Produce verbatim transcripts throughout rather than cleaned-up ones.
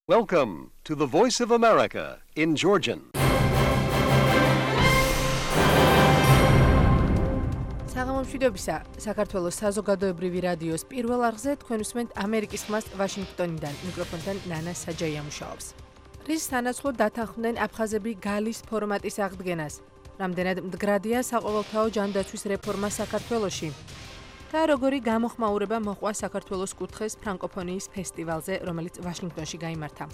Welcome to the Voice of America in Georgian. საღამომშვიდობისა, საქართველოს საზოგადოებრივი რადიოს პირველ არხზე თქვენ უსმენთ ამერიკის ხმას ვაშინგტონიდან. მიკროფონთან ნანა საჯაია მუშაობს. რის სანაცვლოდ დათანხმდნენ აფხაზები გალის ფორმატის აღდგენას. რამდენად მდგრადია საყოველთაო ჯანდაცვის რეფორმა საქართველოში. და როგორი გამოხმაურება მოყვა საქართველოს კუთხეს ფრანკოფონიის ფესტივალზე, რომელიც ვაშინგტონში გაიმართა.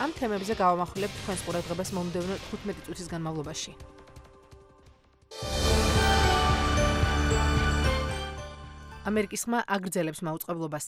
ამ თემებზე გავამახვილებთ თქვენს ყურადღებას მომდევნო თხუთმეტი წუთის განმავლობაში. ამერიკის ხმა აგრძელებს მაუწყებლობას.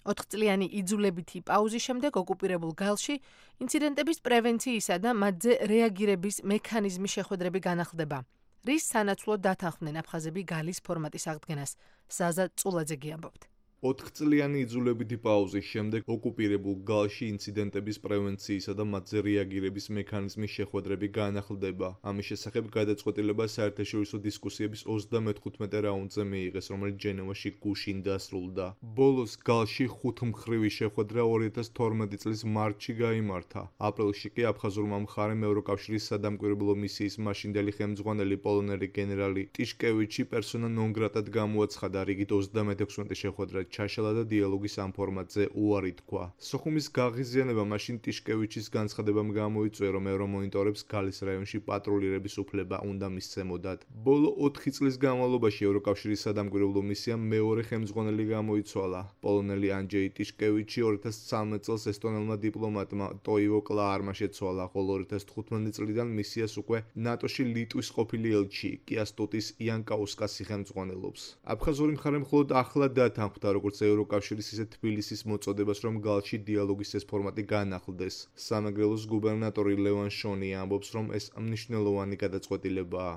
ოთხწლიანი იძულებითი პაუზის შემდეგ ოკუპირებულ გალში ინციდენტების პრევენციისა და მათზე რეაგირების მექანიზმის შეხვედრები განახლდება. რის სანაცვლოდ დათანხმდნენ აფხაზები გალის ფორმატის აღდგენას. ზაზა წულაძე ამბობთ. ოთხწლიანი იძულებითი პაუზის შემდეგ ოკუპირებულ გალში ინციდენტების პრევენციისა და მათზე რეაგირების მექანიზმის შეხვედრები განახლდება. ამის შესახებ გადაწყვეტილება საერთაშორისო დისკუსიების ოცდამეთხუთმეტე რაუნდზე მიიღეს, რომელიც ჟენევაში გუშინ დასრულდა. ბოლოს გალში ხუთმხრივი შეხვედრა ორი ათას თორმეტი წლის მარტში გაიმართა. აპრილში კი აფხაზურმა მხარემ ევროკავშირის სადამკვირვებლო მისიის მაშინდელი ხელმძღვანელი პოლონელი გენერალი ტიშკევიჩი პერსონა ნონ გრატად გამოაცხადა. რიგით ოცდამეექვსმეტი შეხვედრა ჩაშალა და დიალოგის ამ ფორმატზე უარი თქვა. სოხუმის გაღიზიანება მაშინ ტიშკევიჩის განცხადებამ გამოიწვია, რომ ევრომონიტორებს გალის რაიონში პატრულირების უფლება უნდა მისცემოდათ. ბოლო ოთხი წლის განმავლობაში ევროკავშირის სადამკვირვებლო მისიამ მეორე ხელმძღვანელი გამოიცვალა. პოლონელი ანჯეი ტიშკევიჩი ორი ათას ცხრამეტ წელს ესტონელმა დიპლომატმა ტოივო კლაარმა შეცვალა, ხოლო ორი ათას თხუთმეტი წლიდან მისიას უკვე ნატოში ლიტვის ყოფილი ელჩი კიასტუტის იანკაუსკასი ხელმძღვანელობს. აფხაზური მხარე მხოლოდ ახლა დათანხმდა როგორც ევროკავშირის ისე თბილისის მოწოდებას, რომ გალში დიალოგის ეს ფორმატი განახლდეს. სამეგრელოს გუბერნატორი ლევან შონი ამბობს, რომ ეს მნიშვნელოვანი გადაწყვეტილებაა.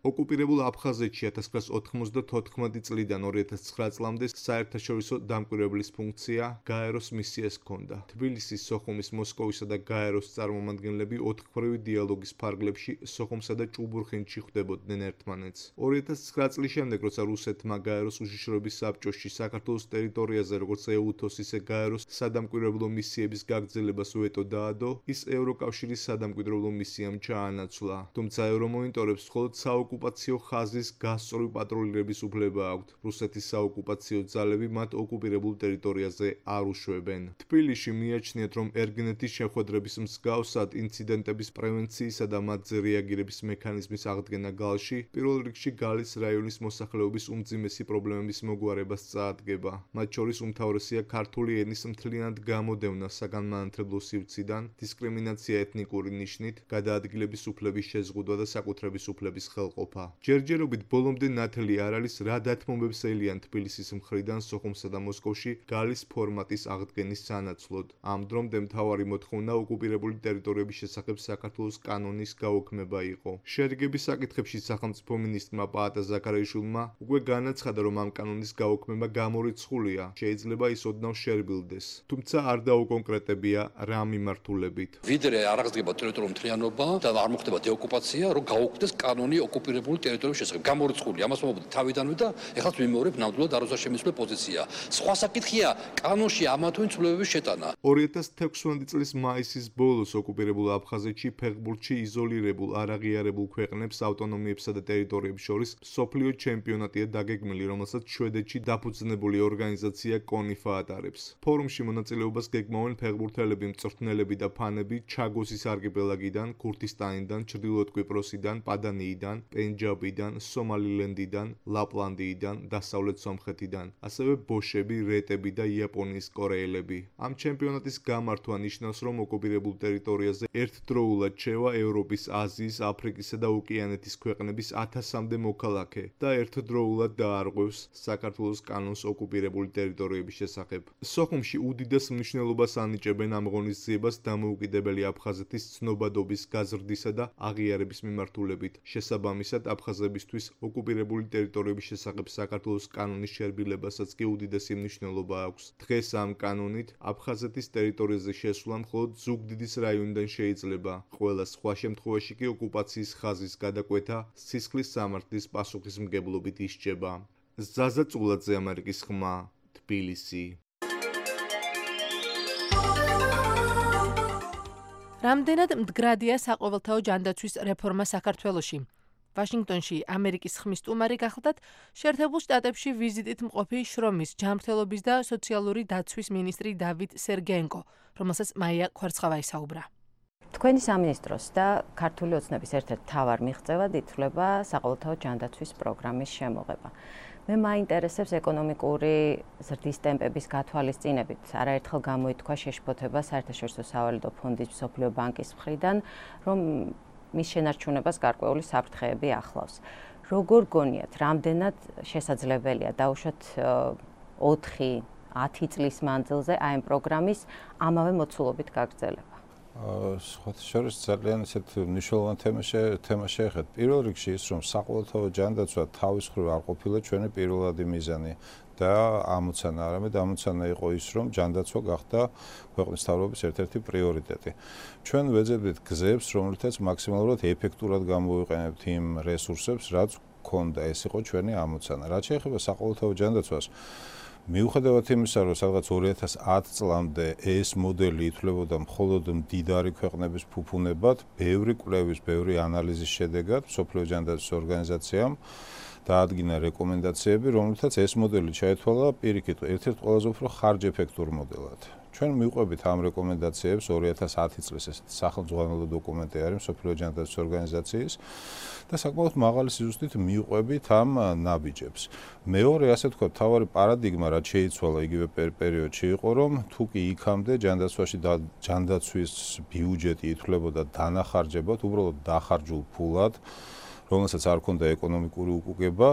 ოკუპირებულ აფხაზეთში ათას ცხრაას ოთხმოცდათოთხმეტი წლიდან ორი ათას ცხრა წლამდე საერთაშორისო დამკვირვებლის ფუნქცია გაეროს მისიას ჰქონდა. თბილისის, სოხუმის, მოსკოვისა და გაეროს წარმომადგენლები ოთხმხრივი დიალოგის ფარგლებში სოხუმსა და ჭუბურხინში ხვდებოდნენ ერთმანეთს. ორი ათას ცხრა წლის შემდეგ, როცა რუსეთმა გაეროს უშიშროების საბჭოში საქართველოს ტერიტორიაზე როგორც ეუთოს, ისე გაეროს სადამკვირვებლო მისიების გაგრძელებას ვეტო დაადო, ის ევროკავშირის სადამკვირვებლო მისიამ ჩაანაცვლა. თუმცა ევრომონიტორებს მხოლოდ საოკუპაციო ხაზის გასწორვი პატრულირების უფლება აქვთ. რუსეთის საოკუპაციო ძალები მათ ოკუპირებულ ტერიტორიაზე არ უშვებენ. თბილისში მიაჩნიათ, რომ ერგინეთის შეხვედრების მსგავსად ინციდენტების პრევენციისა და მათზე რეაგირების მექანიზმის აღდგენა გალში პირველ რიგში გალის რაიონის მოსახლეობის უმძიმესი პრობლემების მოგვარებას წაადგება. მათ შორის უმთავრესია ქართული ენის მთლიანად გამოდევნა საგანმანათლებლო სივრციდან, დისკრიმინაცია ეთნიკური ნიშნით, გადაადგილების უფლების შეზღუდვა და საკუთრების უფლების ხელყოფა. ჯერჯერობით ბოლომდე ნათელი არ არის, რა დათმობებს ელიან თბილისის მხრიდან სოხუმსა და მოსკოვში გალის ფორმატის აღდგენის სანაცვლოდ. ამ დრომდე მთავარი მოთხოვნა ოკუპირებული ტერიტორიების შესახებ საქართველოს კანონის გაუქმება იყო. შერიგების საკითხებში სახელმწიფო მინისტრმა პაატა ზაქარიაშვილმა უკვე განაცხადა, რომ ამ კანონის გაუქმება გამორიცხულია, შეიძლება ის ოდნავ შერბილდეს. თუმცა არ დაუკონკრეტებია რა მიმართულებით. ვიდრე არ აღდგება ტერიტორიული მთლიანობა და არ მოხდება დეოკუპაცია, რომ გაუქმდეს კანონი ოკუპირებული ტერიტორიების შესახებ. გამორიცხული, ამას მომობდი თავიდანვე და ეხლა ვიმეორებ ნამდვილად არ უზრშემისული პოზიცია. სხვა საკითხია კანონში ამა თუ იმ ცვლილებების შეტანა. ორი ათას თექვსმეტი წლის მაისის ბოლოს ოკუპირებულ აფხაზეთში ფეხბურთში იზოლირებულ არაღიარებულ ქვეყნებს, ავტონომიებსა და ტერიტორიებს შორის მსოფლიო ჩემპიონატია დაგეგმილი, რომელსაც შვედეთში დაფუძნებული ორგანიზაცია კონიფა ატარებს. ფორუმში მონაწილეობას გეგმავენ ფეხბურთელები, მწვრთნელები და ფანები ჩაგოსის არქიპელაგიდან, ქურთისტანიდან, ჩრდილოეთ კვიპროსიდან, პადანიიდან, პენჯაბიდან, სომალილენდიდან, ლაპლანდიიდან, დასავლეთ სომხეთიდან, ასევე ბოშები, რეტები და იაპონიის კორეელები. ამ ჩემპიონატის გამართვა ნიშნავს, რომ ოკუპირებულ ტერიტორიაზე ერთდროულად შევა ევროპის, აზიის, აფრიკისა და ოკეანეთის ქვეყნების ათასამდე მოქალაქე და ერთდროულად დაარღვევს საქართველოს კანონს ოკუპირებული ტერიტორიების შესახებ. სოხუმში უდიდეს მნიშვნელობას ანიჭებენ ამ ღონისძიებას დამოუკიდებელი აფხაზეთის ცნობადობის გაზრდისა და აღიარების მიმართულებით. შესაბამის უმთავრესად აფხაზებისთვის ოკუპირებული ტერიტორიების შესახებ საქართველოს კანონის შერბილებასაც კი უდიდესი მნიშვნელობა აქვს. დღეს ამ კანონით აფხაზეთის ტერიტორიაზე შესვლა მხოლოდ ზუგდიდის რაიონიდან შეიძლება. ყველა სხვა შემთხვევაში კი ოკუპაციის ხაზის გადაკვეთა სისხლის სამართლის პასუხისმგებლობით ისჯება. ზაზა წულაძე, ამერიკის ხმა, თბილისი. რამდენად მდგრადია საყოველთაო ჯანდაცვის რეფორმა საქართველოში? ვაშინგტონში ამერიკის ხმის სტუმარი გახლდათ შეერთებულ შტატებში ვიზიტით მყოფი შრომის, ჯანმრთელობის და სოციალური დაცვის მინისტრი დავით სერგეენკო, რომელსაც მაია ქვარცხავა ისაუბრა. თქვენი სამინისტროს და ქართული ოცნების ერთ-ერთ მთავარ მიღწევად ითვლება საყოველთაო ჯანდაცვის პროგრამის შემოღება. მე მაინტერესებს ეკონომიკური ზრდის ტემპების გათვალისწინებით. არაერთხელ გამოითქვა შეშფოთება საერთაშორისო სავალუტო ფონდის მსოფლიო ბანკის მხრიდან, რომ მის შენარჩუნებას გარკვეული საფრთხეები ახლავს. როგორ გონიათ, რამდენად შესაძლებელია დაუშვათ ოთხი ათი წლის მანძილზე აი ამ პროგრამის ამავე მოცულობით გაგრძელება? სხვათა შორის ძალიან ისეთ მნიშვნელოვანი თემა შეეხეთ. პირველ რიგში ის, რომ საყოველთაო ჯანდაცვა თავის მხრივ არ ყოფილა ჩვენი პირველადი მიზანი და ამოცანა, არამედ ამოცანა იყო ის, რომ ჯანდაცვა გახდა ქვეყნის მთავრობის ერთ-ერთი პრიორიტეტი. ჩვენ ვეძებდით გზებს, რომლითაც მაქსიმალურად ეფექტურად გამოვიყენებთ იმ რესურსებს, რაც გქონდა. ეს იყო ჩვენი ამოცანა. რაც შეეხება საყოველთაო ჯანდაცვას, მიუხედავად იმისა, რომ სადღაც ორი ათას ათი წლამდე ეს მოდელი ითვლებოდა მხოლოდ მდიდარი ქვეყნების ფუფუნებად, ბევრი კვლევის, ბევრი ანალიზის შედეგად მსოფლიო ჯანდაცვის ორგანიზაციამ დაადგინა რეკომენდაციები, რომლითაც ეს მოდელი ჩაითვალა პირიქით ერთ-ერთ ყველაზე უფრო ხარჯ-ეფექტურ მოდელად. ჩვენ მივყვებით ამ რეკომენდაციებს ორი ათას ათი წლის ესეთი სახელმძღვანელო დოკუმენტი არის მსოფლიო ჯანდაცვის ორგანიზაციის და საკმაოდ მაღალი სიზუსტით მივყვებით ამ ნაბიჯებს. მეორე, ასე თქვა, მთავარი პარადიგმა, რაც შეიცვალა იგივე პერიოდში იყო, რომ თუ კი იქამდე ჯანდაცვაში ჯანდაცვის ბიუჯეტი ითვლებოდა დანახარჯებად, უბრალოდ დახარჯულ ფულად, რომელსაც არ ჰქონდა ეკონომიკური უკუგება,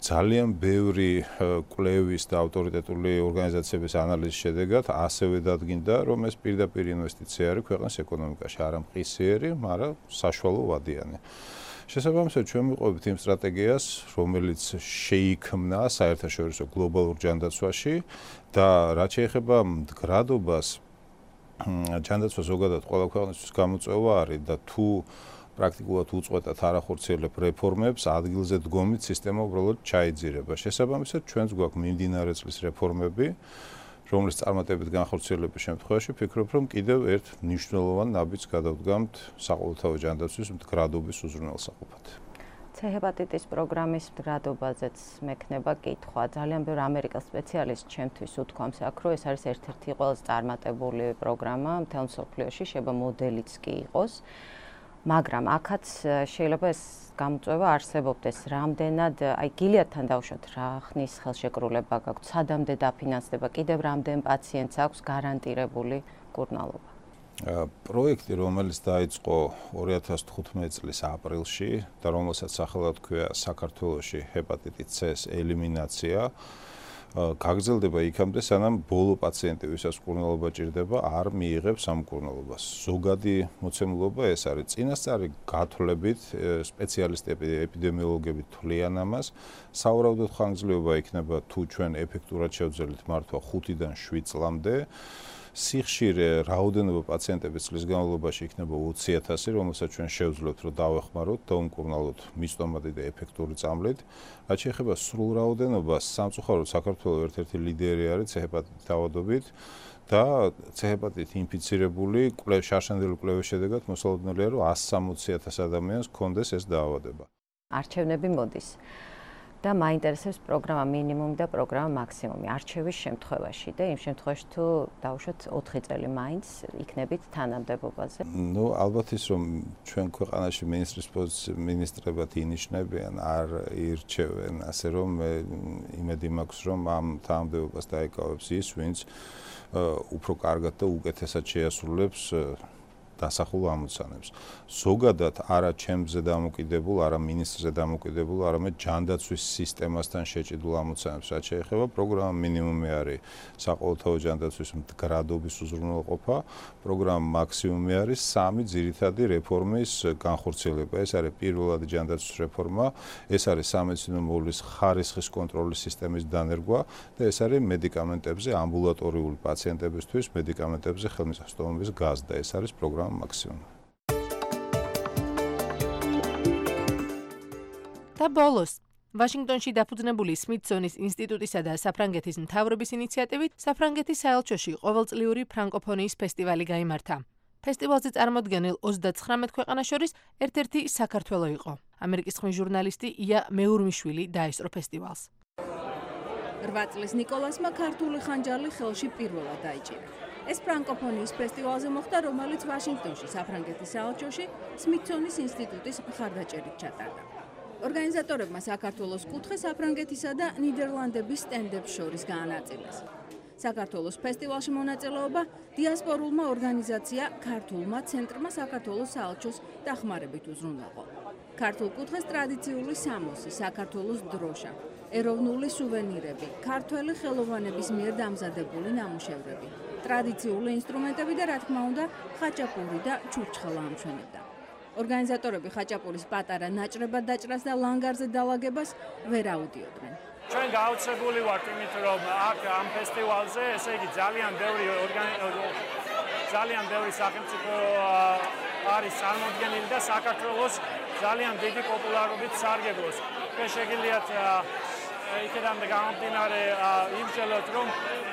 ძალიან ბევრი კვლევის და ავტორიტეტული ორგანიზაციების ანალიზის შედეგად ასევე დადგინდა, რომ ეს პირდაპირ ინვესტიცია არის ქვეყნის ეკონომიკაში, არა მყისიერი, მაგრამ საშუალო ვადიანი. შესაბამისად, ჩვენ მივყვებით იმ სტრატეგიას, რომელიც შეიქმნა საერთაშორისო გლობალურ ჯანდაცვაში და რაც შეეხება მდგრადობას, ჯანდაცვა ზოგადად ყველა ქვეყნისთვის გამოწვევა არის და თუ პრაქტიკულად უწყვეტად არ ახორციელებ რეფორმებს, ადგილზე დგომით სისტემა უბრალოდ ჩაიძირება. შესაბამისად, ჩვენც გვაქვს მიმდინარე წლის რეფორმები, რომლის წარმატებით განხორციელების შემთხვევაში ვფიქრობ, რომ კიდევ ერთ მნიშვნელოვან ნაბიჯს გადავდგამთ საყოველთაო ჯანდაცვის მდგრადობის უზრუნველსაყოფად. C ჰეპატიტის პროგრამის მდგრადობაზეც მექნება კითხვა. ძალიან ბევრი ამერიკელ სპეციალისტ ჩემთვის უთქვამს აქ, რომ ეს არის ერთ-ერთი ყველაზე წარმატებული პროგრამა მთელ მსოფლიოში, შეიძლება მოდელიც კი იყოს. მაგრამ აქაც შეიძლება ეს გამოწვევა არსებობდეს. რამდენად, აი გილიათთან დავუშვათ, რა ხნის ხელშეკრულება გაქვთ, სადამდე დაფინანსდება, კიდევ რამდენ პაციენტს აქვს გარანტირებული მკურნალობა? პროექტი, რომელიც დაიწყო ორი ათას თხუთმეტი წლის აპრილში და რომელსაც სახელად ჰქვია საქართველოში ჰეპატიტის C-ს ელიმინაცია, გაგრძელდება იქამდე, სანამ ბოლო პაციენტი, ვისაც მკურნალობა ჭირდება, არ მიიღებს ამ მკურნალობას. ზოგადი მოცემულობა ეს არის. წინასწარი გათვლებით სპეციალისტები, ეპიდემიოლოგები თვლიან ამას. სავარაუდოდ ხანგრძლივობა იქნება თუ ჩვენ ეფექტურად შევძლებთ მართვა ხუთიდან შვიდ წლამდე. სიხშირე რაოდენობა პაციენტების წლის განმავლობაში იქნება ოცი ათასი, რომელსაც ჩვენ შევძლებთ, რომ დავეხმაროთ და უმკურნალოთ მისტომატი და ეფექტური წამლით. რაც შეეხება სრულ რაოდენობას, სამწუხაროდ საქართველოს ერთ-ერთი ლიდერი არის C ჰეპატიტით დაავადებით და C ჰეპატიტით ინფიცირებული კვლევის შარშანდელი კვლევის შედეგად მოსალოდნელია, რომ εκατს სამოცი ათას ადამიანს ჰქონდეს ეს დაავადება. არჩევნები მოდის. და მაინტერესებს პროგრამა მინიმუმი და პროგრამა მაქსიმუმი არჩევის შემთხვევაში და იმ შემთხვევაში თუ დავუშვათ ოთხი წელი მაინც იქნებით თანამდებობაზე. ნუ ალბათ ის რომ ჩვენ ქვეყანაში მინისტრის მინისტრებად ინიშნებიან, არ ირჩევენ, ასე რომ მე იმედი მაქვს რომ ამ თანამდებობას დაიკავებს ის, ვინც უფრო კარგად და უკეთესად შეასრულებს დასახულ ამოცანებს. ზოგადად არა ჩემზე დამოკიდებულ, არა მინისტრზე დამოკიდებულ, არამედ ჯანდაცვის სისტემასთან შეჭიდულ ამოცანებს, რაც შეეხება პროგრამა მინიმუმი არის საყოველთაო ჯანდაცვის მდგრადობის უზრუნველყოფა, პროგრამა მაქსიმუმი არის სამი ძირითადი რეფორმის განხორციელება. ეს არის პირველადი ჯანდაცვის რეფორმა, ეს არის სამედიცინო მოვლის ხარისხის კონტროლის სისტემის დანერგვა და ეს არის მედიკამენტებზე ამბულატორიული პაციენტებისთვის მედიკამენტებზე ხელმისაწვდომობის გაზრდა. ეს არის პროგრამა მაქსიმუმი. და ბოლოს ვაშინგტონში დაფუძნებული სმითსონის ინსტიტუტისა და საფრანგეთის მთავრობის ინიციატივით საფრანგეთის საელჩოში ყოველწლიური ფრანკოფონიის ფესტივალი გაიმართა. ფესტივალზე წარმოდგენილ ოცდაცხრამეტ ქვეყანას შორის ერთ-ერთი საქართველო იყო. ამერიკის ხმის ჟურნალისტი ია მეურმიშვილი დაესწრო ფესტივალს. რვა წლის ნიკოლასმა ქართული ხანჯალი ხელში პირველად დაიჭირა. ეს ფრანკოფონიის ფესტივალზე მოხდა, რომელიც ვაშინგტონში საფრანგეთის საელჩოში სმითსონის ინსტიტუტის მხარდაჭერით ჩატარდა. ორგანიზატორებმა საქართველოს კუთხე საფრანგეთისა და ნიდერლანდების სტენდებს შორის გაანაწილეს. საქართველოს ფესტივალში მონაწილეობა დიასპორულმა ორგანიზაცია ქართულმა ცენტრმა საქართველოს საელჩოს დახმარებით უზრუნველყო. ქართულ კუთხეს ტრადიციული სამოსი, საქართველოს დროშა, ეროვნული სუვენირები, ქართველი ხელოვანების მიერ დამზადებული ნამუშევრები, ტრადიციული ინსტრუმენტები და რა თქმა უნდა, ხაჭაპური და ჩურჩხელა ამშვენებდა. ორგანიზატორები ხაჭაპურის პატარა ნაჭრებად დაჭრას და ლანგარზე დალაგებას ვერ აუდიოდნენ. ჩვენ გაოცებული ვართ იმით, რომ აქ ამ ფესტივალზე, ესე იგი ძალიან ბევრი ძალიან ბევრი სახელმწიფო არის წარმოდგენილი და საქართველოს ძალიან დიდი პოპულარობით სარგებლობს. ჩვენ შეგიძლიათ იქიდან გამომდინარე იმსჯელოთ, რომ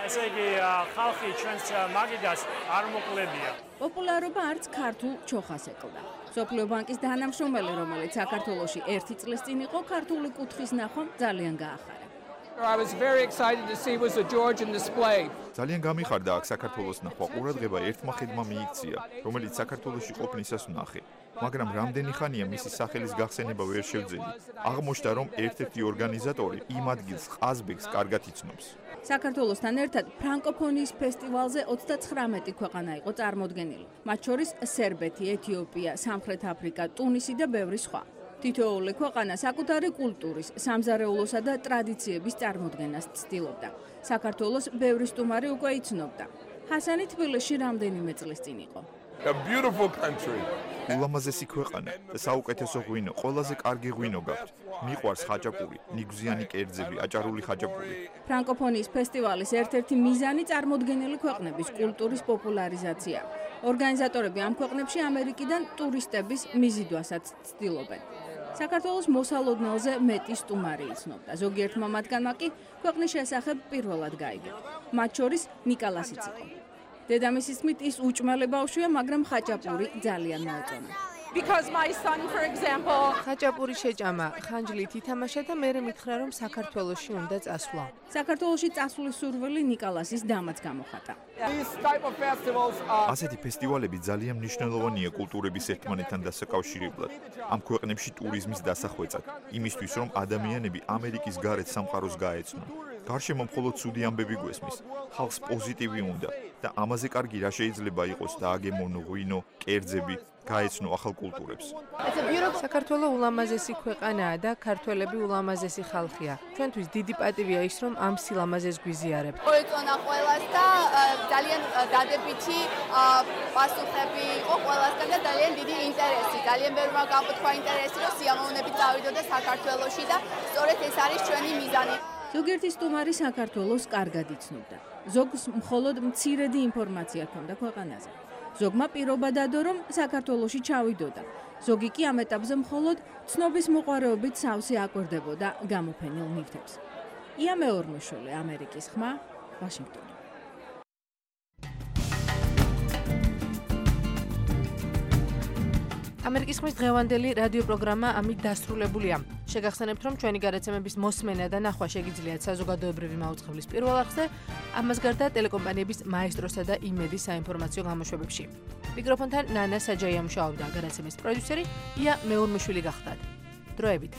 ესე იგი ხალხი ჩვენს მაგიდას არ მოყლებია. პოპულარობა არც ქართულ ჩოხას ეკლდა. სოფლიო ბანკის თანამშრომელი, რომელიც საქართველოში ერთი წლის წინ იყო, ქართული კუთხის ნახვამ ძალიან გაახარა. I was very excited to see was a Georgian display. ძალიან გამიხარდა აქ საქართველოს ნახვა. ყურადღება ერთმა ხედმა მიიქცია, რომელიც საქართველოში ყოფნისას ვნახე. მაგრამ რამდენი ხანია მისი სახელის გახსენება ვერ შევძელი. აღმოჩნდა, რომ ერთ-ერთი ორგანიზატორი იმ ადგილს ყაზბეგს კარგად იცნობს. საქართველოსთან ერთად ფრანკოფონიის ფესტივალზე ოცდაცხრამეტი ქვეყანა იყო წარმოდგენილი. მათ შორის სერბეთი, ეთიოპია, სამხრეთ აფრიკა, ტუნისი და ბევრი სხვა. თითოეული ქვეყანა საკუთარი კულტურის, სამზარეულოსა და ტრადიციების წარმოდგენას ცდილობდა. საქართველოს ბევრი სტუმარი უკვე იცნობდა. ჰასანი თბილისში რამდენიმე წლის წინ იყო. A beautiful country. ულამაზესი ქვეყანა და საუკეთესო ღვინო, ყველაზე კარგი ღვინო გაქვთ. მიყვარს ხაჭაპური, ნიგზიანი კერძები, აჭარული ხაჭაპური. ფრანკოფონიის ფესტივალის ერთ-ერთი მიზანი წარმოდგენილი ქვეყნების კულტურის პოპულარიზაცია. ორგანიზატორები ამ ქვეყნებში ამერიკიდან ტურისტების მიზიდვასაც ცდილობენ. საქართველოს მოსალოდნელზე მეტი სტუმარი იცნობდა. ზოგიერთმა მათგანმა კი ქვეყნის შესახებ პირველად გაიგო. მათ შორის ნიკალასიც იყო. დედამისის თქმით, ის უჭმელი ბავშვია, მაგრამ ხაჭაპური ძალიან მოეწონა. Because my son, for example, ხაჭაპური შეჭამა, ხანჯლით ითამაშა და მერე მითხრა, რომ საქართველოში უნდა წასვლა. საქართველოში წასვლის სურვილი ნიკალასის დამაც გამოხატა. ასეთი ფესტივალები ძალიან მნიშვნელოვანია კულტურების ერთმანეთთან დასაკავშირებლად. ამ ქვეყნებში ტურიზმის დასახვეწად, იმისთვის, რომ ადამიანები ამერიკის გარეთ სამყაროს გაეცნონ. გარშემო მხოლოდ ცუდი ამბები გვესმის. ხალხს პოზიტივი უნდა და ამაზე კარგი რა შეიძლება იყოს დააგემონო ღვინო, კერძები, გაეცნო ახალ კულტურებს. საქართველო ულამაზესი ქვეყანაა და ქართველები ულამაზესი ხალხია. ჩვენთვის დიდი პატივია ის, რომ ამ სილამაზეს გვიზიარებთ. მოეწონა ყველას და ძალიან დადებითი პასუხები იყო ყველასგან და ძალიან დიდი ინტერესი. ძალიან ბევრმა გამოთქვა ინტერესი, რომ სიამოვნებით წავიდოდა საქართველოში და სწორედ ეს არის ჩვენი მიზანი. ზოგიერთი სტუმარი საქართველოს კარგად იცნობდა. ზოგს მხოლოდ მცირედი ინფორმაცია ჰქონდა ქვეყანაზე. ზოგმა პირობა დადო, რომ საქართველოში ჩავიდოდა. ზოგი კი ამ ეტაპზე მხოლოდ ცნობის მოყვარეობით სავსე აკვირდებოდა გამოფენილ ნივთებს. ია მეურმიშვილი, ამერიკის ხმა, ვაშინგტონი. ამერიკის ხმის დღევანდელი რადიო პროგრამა ამით დასრულებულია. შეგახსენებთ, რომ ჩვენი გადაცემების მოსმენა და ნახვა შეგიძლიათ საზოგადოებრივი მაუწყებლის პირველ არხზე, ამას გარდა ტელეკომპანიების მაესტროსა და იმედის საინფორმაციო გამოშვებებში. მიკროფონთან ნანა საჯაია მუშაობდა, გადაცემის პროდიუსერი ია მეურმიშვილი გახდათ. დროებით.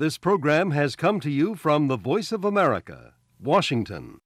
This program has come to you from the Voice of America, Washington.